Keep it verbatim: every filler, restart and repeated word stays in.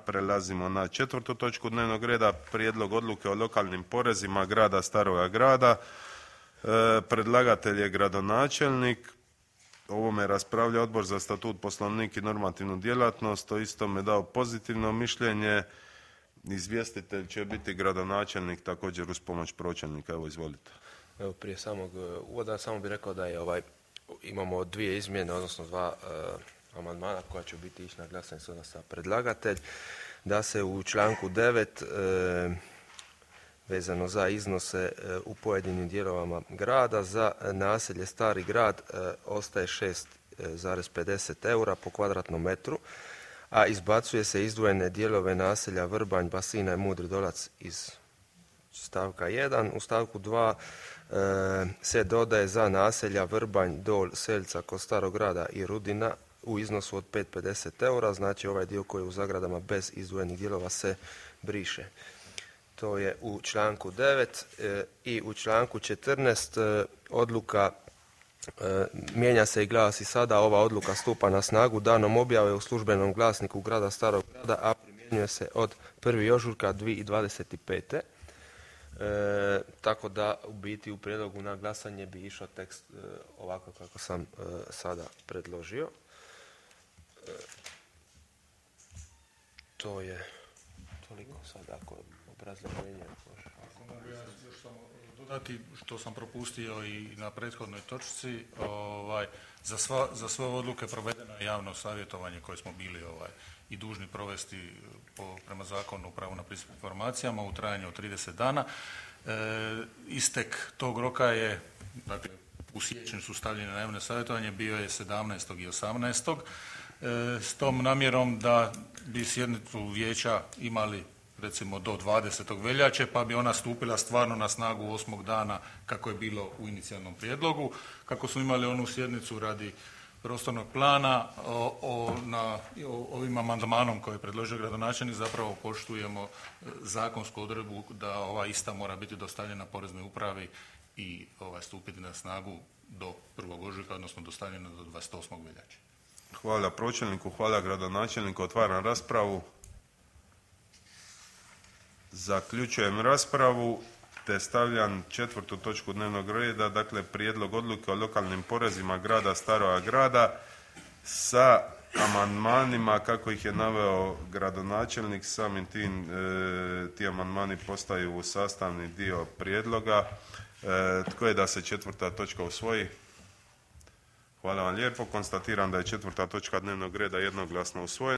prelazimo na četvrtu točku dnevnog reda, prijedlog odluke o lokalnim porezima grada Staroga Grada. E, predlagatelj je gradonačelnik. O ovome raspravlja Odbor za statut, poslovnik i normativnu djelatnost. O istome dao pozitivno mišljenje. Izvjestitelj će biti gradonačelnik također uz pomoć pročelnika. Evo, izvolite. Evo, prije samog uvoda samo bih rekao da je ovaj, imamo dvije izmjene, odnosno dva uh, amandmana koja će biti ići na glasanje sada sa predlagatelj, da se u članku devet uh, vezano za iznose uh, u pojedinim dijelovama grada za naselje Stari Grad uh, ostaje šest zarez pedeset eura po kvadratnom metru, a izbacuje se izdvojene dijelove naselja Vrbanj, Basina i Mudri Dolac iz stavka jedan. U stavku dva e, se dodaje za naselja Vrbanj, Dol, Selca kod Starog Grada i Rudina u iznosu od pet zarez pedeset eura, znači ovaj dio koji je u zagradama bez izdvojenih dijelova se briše. To je u članku devet e, i u članku četrnaest e, odluka E, mijenja se i glasi sada: ova odluka stupa na snagu danom objave u službenom glasniku grada Starog Grada, a primjenjuje se od prvog ožujka dvije tisuće dvadeset pete. E, tako da u biti u prijedlogu na glasanje bi išao tekst e, ovako kako sam e, sada predložio. E, to je toliko sada ako obrazloženje može. Dodati što sam propustio i na prethodnoj točci, ovaj, za, sva, za sve odluke provedeno je javno savjetovanje koje smo bili ovaj, i dužni provesti po, prema zakonu o pravu na pristup informacijama u trajanju od trideset dana. E, istek tog roka je, dakle, u siječnju su stavljene na javno savjetovanje, bio je sedamnaestog i osamnaestog E, s tom namjerom da bi sjednicu vijeća imali recimo do dvadesetog veljače, pa bi ona stupila stvarno na snagu osmog dana kako je bilo u inicijalnom prijedlogu. Kako smo imali onu sjednicu radi prostornog plana, o, o, na, o, ovim amandmanom koji je predložio gradonačelnik zapravo poštujemo zakonsku odredbu da ova ista mora biti dostavljena Poreznoj upravi i ovaj, stupiti na snagu do prvog ožujka, odnosno dostavljena do dvadeset osmog veljače. Hvala pročelniku, hvala gradonačelniku. Otvaram raspravu. Zaključujem raspravu te stavljam četvrtu točku dnevnog reda, dakle prijedlog odluke o lokalnim porezima grada Staroga Grada sa amandmanima kako ih je naveo gradonačelnik. Samim tim e, ti amandmani postaju sastavni dio prijedloga. E, tko je da se četvrta točka usvoji? Hvala vam lijepo. Konstatiram da je četvrta točka dnevnog reda jednoglasno usvojena.